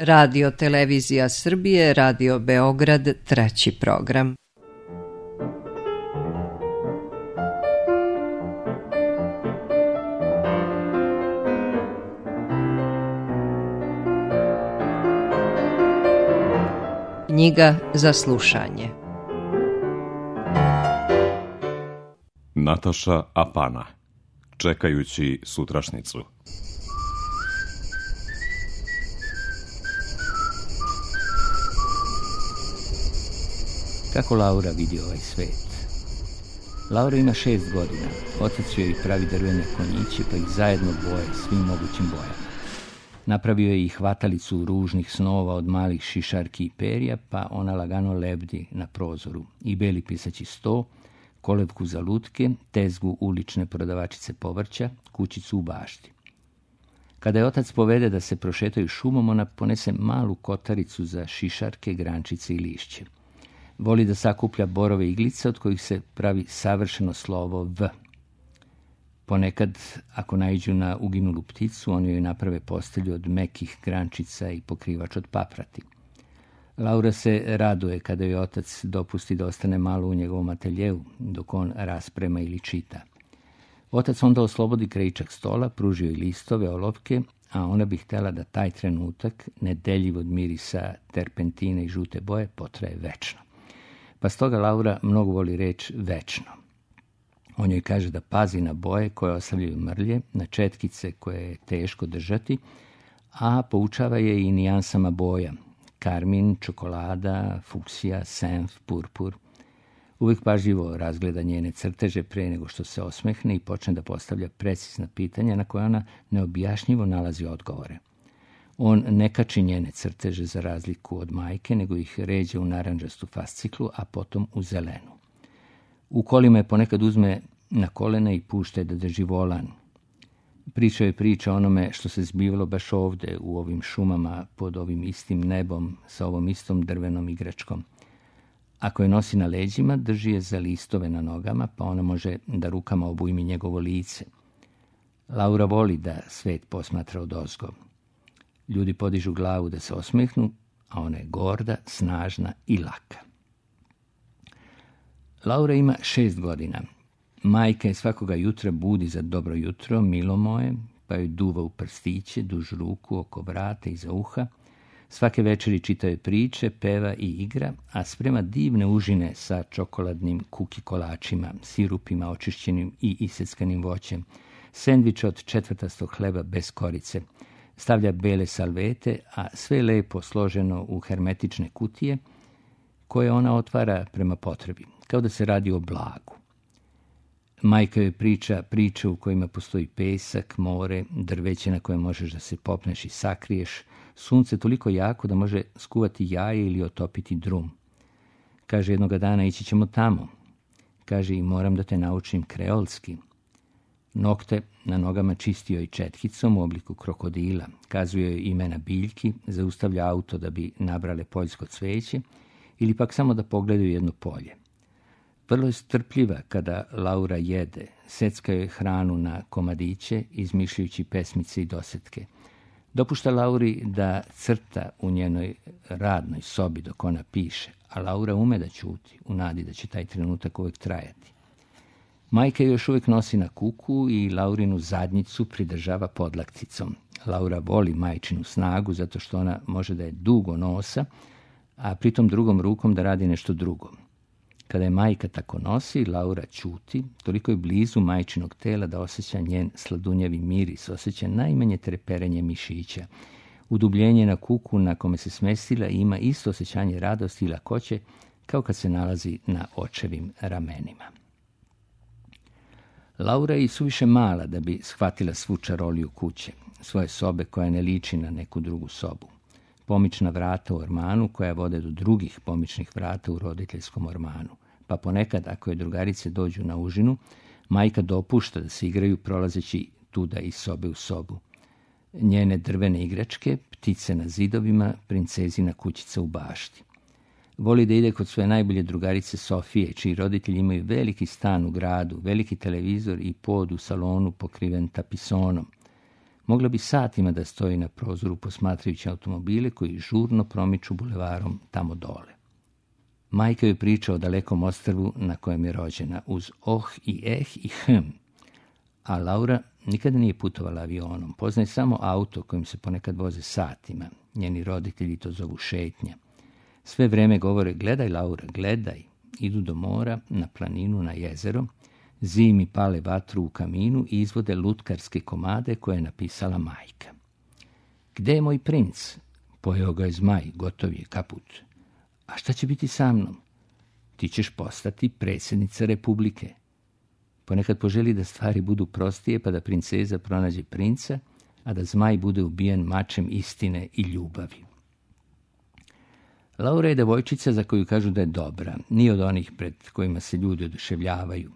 Radio Televizija Srbije, Radio Beograd, treći program. Knjiga za slušanje. Nataša Apana. Čekajući sutrašnicu. Kako Laura vidi ovaj svet? Laura ima 6 godina. Otac joj pravi drvene konjiće, pa ih zajedno boje svim mogućim bojama. Napravio je i hvatalicu ružnih snova od malih šišarki i perja, pa ona lagano lebdi na prozoru. I beli pisaći sto, kolevku za lutke, tezgu ulične prodavačice povrća, kućicu u bašti. Kada je otac povede da se prošetaju šumom, ona ponese malu kotaricu za šišarke, grančice i lišće. Voli da sakuplja borove iglice od kojih se pravi savršeno slovo V. Ponekad, ako naiđu na uginulu pticu, oni joj naprave postelju od mekih grančica i pokrivač od paprati. Laura se raduje kada joj otac dopusti da ostane malo u njegovom ateljeu, dok on rasprema ili čita. Otac onda oslobodi krajičak stola, pruži joj listove, olovke, a ona bi htjela da taj trenutak, nedeljiv od mirisa terpentine i žute boje, potraje večno. Pa stoga Laura mnogo voli reč večno. On joj kaže da pazi na boje koje ostavljaju mrlje, na četkice koje je teško držati, a poučava je i nijansama boja. Karmin, čokolada, fuksija, senf, purpur. Uvijek pažljivo razgleda njene crteže pre nego što se osmehne i počne da postavlja precizna pitanja na koje ona neobjašnjivo nalazi odgovore. On ne kači njene crteže za razliku od majke, nego ih ređe u narandžastu fasciklu, a potom u zelenu. U kolima je ponekad uzme na kolena i pušta da drži volan. Priča je priča onome što se zbivalo baš ovde, u ovim šumama, pod ovim istim nebom, sa ovom istom drvenom igračkom. Ako je nosi na leđima, drži je za listove na nogama, pa ona može da rukama obujmi njegovo lice. Laura voli da svet posmatra odozgo. Ljudi podižu glavu da se osmehnu, a ona je gorda, snažna i laka. Laura ima 6 godina. Majka je svakoga jutra budi za dobro jutro, milo moje, pa joj duva u prstiće, duž ruku, oko vrata i za uha. Svake večeri čita joj priče, peva i igra, a sprema divne užine sa čokoladnim kuki kolačima, sirupima očišćenim i iseckanim voćem, sendvič od četvrtastog hleba bez korice. Stavlja bele salvete, a sve lepo složeno u hermetične kutije, koje ona otvara prema potrebi, kao da se radi o blagu. Majka joj priča priče u kojima postoji pesak, more, drveće na koje možeš da se popneš i sakriješ, sunce toliko jako da može skuvati jaje ili otopiti drum. Kaže jednoga dana ići ćemo tamo. Kaže i moram da te naučim kreolski. Nokte na nogama čistio i četkicom u obliku krokodila. Kazuje joj imena biljki, zaustavlja auto da bi nabrale poljsko cveće ili pak samo da pogledaju jedno polje. Vrlo je strpljiva kada Laura jede, secka joj hranu na komadiće, izmišljajući pesmice i dosetke. Dopušta Lauri da crta u njenoj radnoj sobi dok ona piše, a Laura ume da ćuti, u nadi da će taj trenutak uvijek trajati. Majka još uvijek nosi na kuku i Laurinu zadnjicu pridržava podlakticom. Laura voli majčinu snagu zato što ona može da je dugo nosa, a pritom drugom rukom da radi nešto drugo. Kada je majka tako nosi, Laura ćuti, toliko je blizu majčinog tela da osjeća njen sladunjavi miris, osjeća najmanje treperenje mišića. Udubljenje na kuku na kome se smestila ima isto osjećanje radosti i lakoće kao kad se nalazi na očevim ramenima. Laura je i suviše mala da bi shvatila svu čaroliju kuće, svoje sobe koja ne liči na neku drugu sobu. Pomična vrata u ormanu koja vode do drugih pomičnih vrata u roditeljskom ormanu. Pa ponekad, ako je drugarice dođu na užinu, majka dopušta da se igraju prolazeći tuda iz sobe u sobu. Njene drvene igračke, ptice na zidovima, princezina kućica u bašti. Voli da ide kod svoje najbolje drugarice Sofije, čiji roditelji imaju veliki stan u gradu, veliki televizor i pod u salonu pokriven tapisonom. Mogla bi satima da stoji na prozoru posmatrajući automobile koji žurno promiču bulevarom tamo dole. Majka joj priča o dalekom ostrvu na kojem je rođena, uz oh i i a Laura nikada nije putovala avionom. Poznaje samo auto kojim se ponekad voze satima. Njeni roditelji to zovu šetnja. Sve vreme govore: gledaj, Laura, gledaj. Idu do mora, na planinu, na jezero. Zimi pale vatru u kaminu i izvode lutkarske komade koje je napisala majka. Gde je moj princ? Pojeo ga je zmaj, gotov je, kaput. A šta će biti sa mnom? Ti ćeš postati predsjednica Republike. Ponekad poželi da stvari budu prostije, pa da princeza pronađe princa, a da zmaj bude ubijen mačem istine i ljubavi. Laura je devojčica za koju kažu da je dobra, nije od onih pred kojima se ljudi oduševljavaju.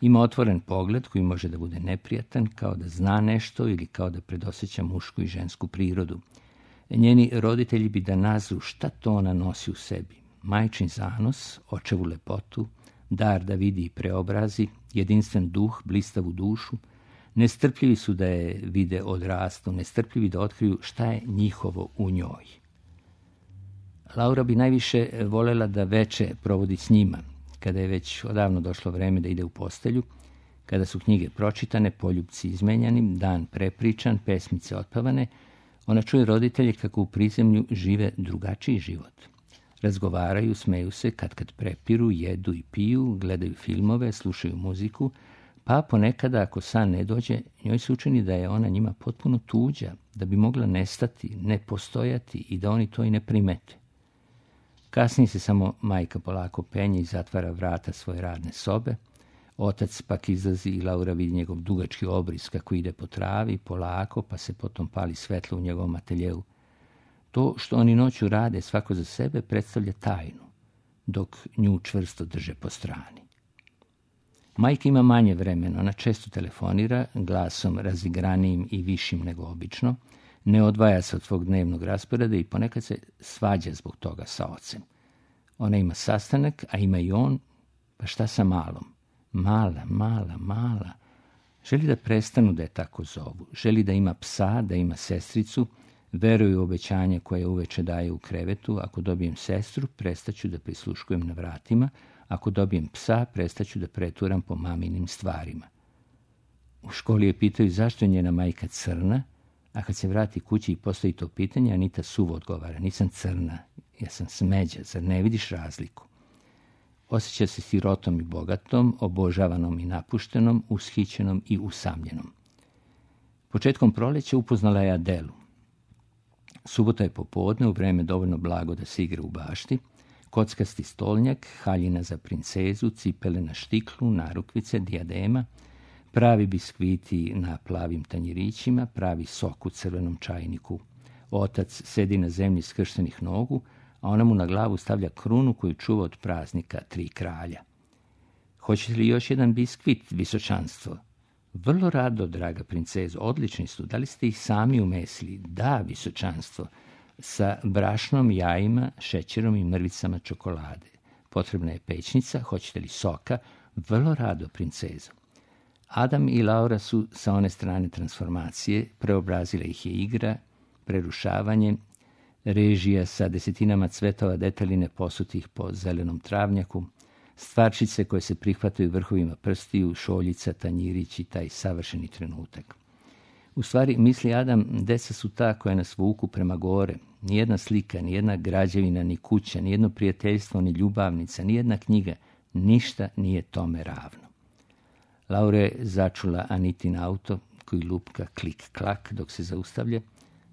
Ima otvoren pogled koji može da bude neprijatan, kao da zna nešto ili kao da predosjeća mušku i žensku prirodu. Njeni roditelji bi da nazru šta to ona nosi u sebi. Majčin zanos, očevu lepotu, dar da vidi i preobrazi, jedinstven duh, blistavu dušu. Nestrpljivi su da je vide odrastu, nestrpljivi da otkriju šta je njihovo u njoj. Laura bi najviše volela da veče provodi s njima, kada je već odavno došlo vreme da ide u postelju, kada su knjige pročitane, poljupci izmenjani, dan prepričan, pesmice otpevane, ona čuje roditelje kako u prizemlju žive drugačiji život. Razgovaraju, smeju se, kad prepiru, jedu i piju, gledaju filmove, slušaju muziku, pa ponekada, ako san ne dođe, njoj se učini da je ona njima potpuno tuđa, da bi mogla nestati, ne postojati i da oni to i ne primete. Kasnije se samo majka polako penje i zatvara vrata svoje radne sobe. Otac pak izlazi i Laura vidi njegov dugački obris kako ide po travi, polako, pa se potom pali svetlo u njegovom ateljeu. To što oni noću rade svako za sebe predstavlja tajnu, dok nju čvrsto drže po strani. Majka ima manje vremena, ona često telefonira, glasom razigranijim i višim nego obično, ne odvaja se od svog dnevnog rasporeda i ponekad se svađa zbog toga sa ocem. Ona ima sastanak, a ima i on, pa šta sa malom? Mala. Želi da prestanu da je tako zovu. Želi da ima psa, da ima sestricu, veruje u obećanje koje uveče daje u krevetu. Ako dobijem sestru, prestaću da prisluškujem na vratima. Ako dobijem psa, prestaću da preturam po maminim stvarima. U školi je pitaju zašto je njena majka crna, a kad se vrati kući i postavi to pitanje, Anita suvo odgovara: nisam crna, ja sam smeđa, zar ne vidiš razliku? Osjeća se sirotom i bogatom, obožavanom i napuštenom, ushićenom i usamljenom. Početkom proleća upoznala je Adelu. Subota je popodne, u vreme dovoljno blago da se igra u bašti, kockasti stolnjak, haljina za princezu, cipele na štiklu, narukvice, dijadema, pravi biskviti na plavim tanjirićima, pravi sok u crvenom čajniku. Otac sedi na zemlji skrštenih nogu, a ona mu na glavu stavlja krunu koju čuva od praznika 3 kralja. Hoćete li još jedan biskvit, visočanstvo? Vrlo rado, draga princezo, odlični su. Da li ste ih sami umesili? Da, visočanstvo. Sa brašnom, jajima, šećerom i mrvicama čokolade. Potrebna je pećnica, hoćete li soka? Vrlo rado, princezo. Adam i Laura su sa one strane transformacije, preobrazila ih je igra, prerušavanje, režija sa desetinama cvetova detaljine posutih po zelenom travnjaku, stvarčice koje se prihvataju vrhovima prstiju, šoljica, tanjirić i taj savršeni trenutak. U stvari, misli Adam, deca su ta koja nas vuku prema gore. Nijedna slika, nijedna građevina, ni kuća, nijedno prijateljstvo, ni ljubavnica, nijedna knjiga, ništa nije tome ravno. Laura je začula Anitin auto koji lupka klik-klak dok se zaustavlja,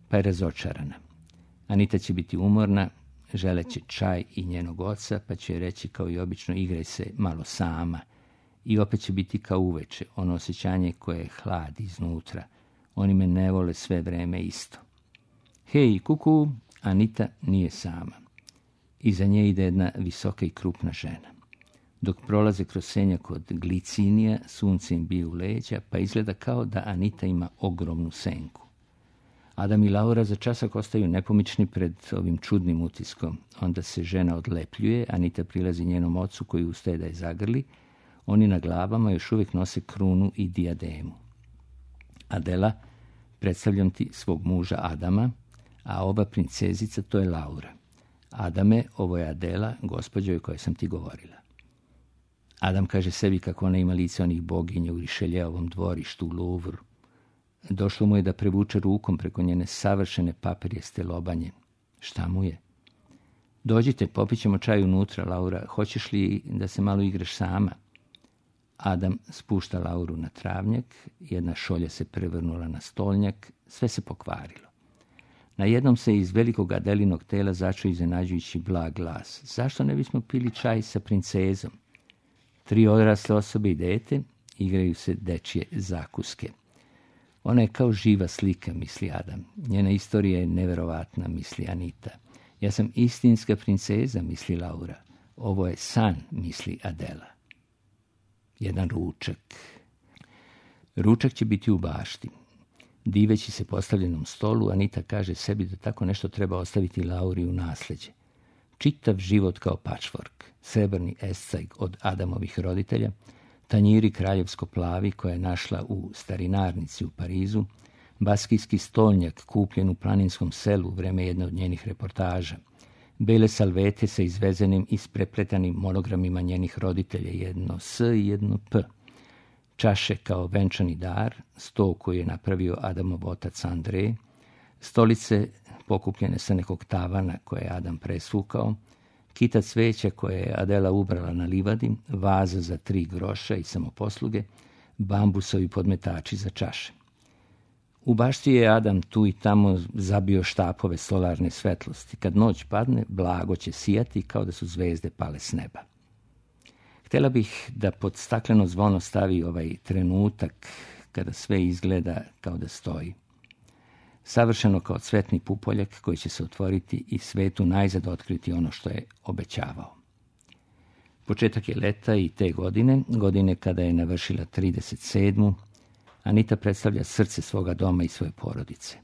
pa je razočarana. Anita će biti umorna, želeće čaj i njenog oca, pa će reći kao i obično: igraj se malo sama. I opet će biti kao uveče, ono osjećanje koje hladi iznutra. Oni me ne vole sve vreme isto. Hej, kuku, Anita nije sama. Iza nje ide jedna visoka i krupna žena. Dok prolaze kroz senjak od glicinija, sunce im bije u leđa, pa izgleda kao da Anita ima ogromnu senku. Adam i Laura za časak ostaju nepomični pred ovim čudnim utiskom. Onda se žena odlepljuje, Anita prilazi njenom ocu koji ustaje da je zagrli. Oni na glavama još uvijek nose krunu i dijademu. Adela predstavljam ti svog muža Adama, a ova princezica to je Laura. Adame, ovo je Adela, gospođo o kojoj sam ti govorila. Adam kaže sebi kako ona ima lice onih boginja u Rišeljeovom dvorištu u Louvru. Došlo mu je da prevuče rukom preko njene savršene papirjeste lobanje. Šta mu je? Dođite, popit ćemo čaj unutra, Laura. Hoćeš li da se malo igraš sama? Adam spušta Lauru na travnjak, jedna šolja se prevrnula na stolnjak, sve se pokvarilo. Na jednom se iz velikog Adelinog tela začuo iznenađujući blag glas. Zašto ne bismo pili čaj sa princezom? 3 odrasle osobe i dete igraju se dečje zakuske. Ona je kao živa slika, misli Adam. Njena istorija je neverovatna, misli Anita. Ja sam istinska princeza, misli Laura. Ovo je san, misli Adela. Jedan ručak. Ručak će biti u bašti. Diveći se postavljenom stolu, Anita kaže sebi da tako nešto treba ostaviti Lauri u nasljeđe. Čitav život kao patchwork, srebrni escajg od Adamovih roditelja, tanjiri kraljevsko plavi koja je našla u starinarnici u Parizu, baskijski stolnjak kupljen u planinskom selu u vreme jedne od njenih reportaža, bele salvete sa izvezenim i isprepletanim monogramima njenih roditelja, jedno S i jedno P, čaše kao venčani dar, sto koji je napravio Adamov otac Andrej, stolice pokupljene sa nekog tavana koje je Adam presvukao, kita cveća koje je Adela ubrala na livadi, vaza za 3 groša i samoposluge, bambusovi podmetači za čaše. U bašti je Adam tu i tamo zabio štapove solarne svetlosti. Kad noć padne, blago će sijati kao da su zvezde pale s neba. Htjela bih da pod stakleno zvono stavi ovaj trenutak kada sve izgleda kao da stoji. Savršeno kao cvetni pupoljak koji će se otvoriti i svetu najzad otkriti ono što je obećavao. Početak je leta i te godine kada je navršila 37. Anita predstavlja srce svoga doma i svoje porodice.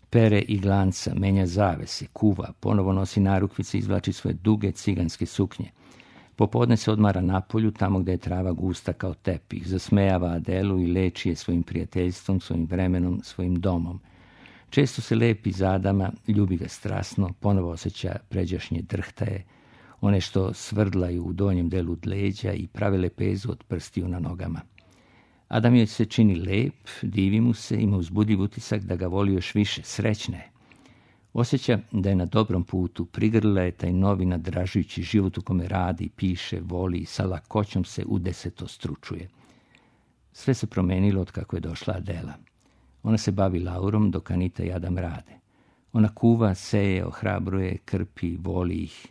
Pere i glanca, menja zavese, kuva, ponovo nosi narukvice i izvlači svoje duge ciganske suknje. Popodne se odmara napolju, tamo gdje je trava gusta kao tepih, zasmejava Adelu i leči je svojim prijateljstvom, svojim vremenom, svojim domom. Često se lepi za Adama, ljubi ga strasno, ponovo osjeća pređašnje drhtaje, one što svrdlaju u donjem delu leđa i prave lepezu od prstiju na nogama. Adam joj se čini lep, divi mu se, ima uzbudljiv utisak da ga voli još više, srećna je. Osjeća da je na dobrom putu, prigrlila je taj novi nadražujući život u kome radi, piše, voli i sa lakoćom se udesetostručuje. Sve se promenilo od kako je došla Adela. Ona se bavi Laurom dok Anita i Adam rade. Ona kuva, seje, ohrabruje, krpi, voli ih.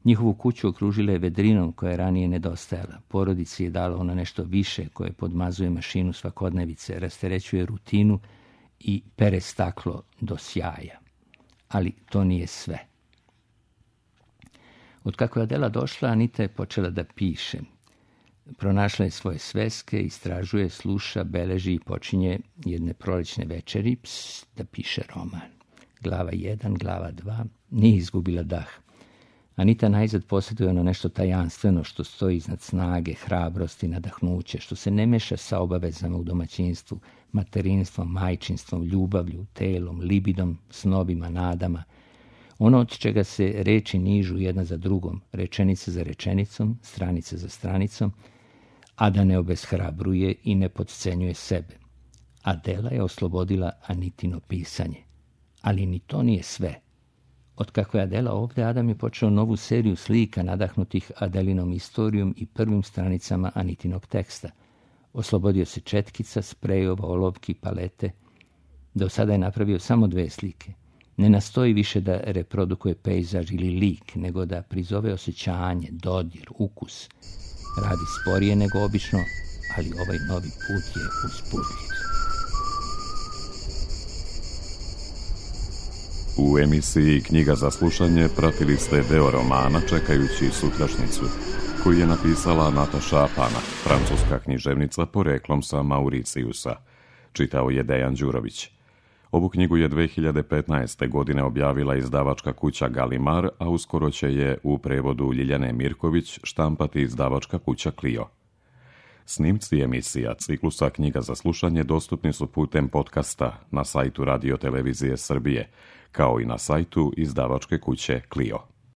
Njihovu kuću okružila je vedrinom koja je ranije nedostajala. Porodici je dala ona nešto više koje podmazuje mašinu svakodnevice, rasterećuje rutinu i pere staklo do sjaja. Ali to nije sve. Od kako je Adela došla, Anita je počela da piše. Pronašla je svoje sveske, istražuje, sluša, beleži i počinje jedne prolećne večeri da piše roman. Glava 1, glava 2, nije izgubila dah. Anita najzad posjeduje ono nešto tajanstveno što stoji iznad snage, hrabrosti, nadahnuće, što se ne meša sa obavezama u domaćinstvu, materinstvom, majčinstvom, ljubavlju, telom, libidom, snovima, nadama. Ono od čega se reči nižu jedna za drugom, rečenica za rečenicom, stranica za stranicom, a da ne obeshrabruje i ne podcenjuje sebe. Adela je oslobodila Anitino pisanje. Ali ni to nije sve. Otkako je Adela ovdje, Adam je počeo novu seriju slika nadahnutih Adelinom istorijom i prvim stranicama Anitinog teksta. Oslobodio se četkica, sprejova, olovki, palete. Do sada je napravio samo 2 slike. Ne nastoji više da reprodukuje pejzaž ili lik, nego da prizove osjećanje, dodir, ukus. Radi sporije nego obično, ali ovaj novi put je uzbudljiv. U emisiji Knjiga za slušanje pratili ste deo romana Čekajući sutrašnjicu, koji je napisala Nataša Apana, francuska književnica poreklom sa Mauricijusa. Čitao je Dejan Đurović. Ovu knjigu je 2015. godine objavila izdavačka kuća Galimar, a uskoro će je u prevodu Ljiljane Mirković štampati izdavačka kuća Clio. Snimci emisija ciklusa Knjiga za slušanje dostupni su putem podcasta na sajtu Radio Televizije Srbije, kao i na sajtu izdavačke kuće Clio.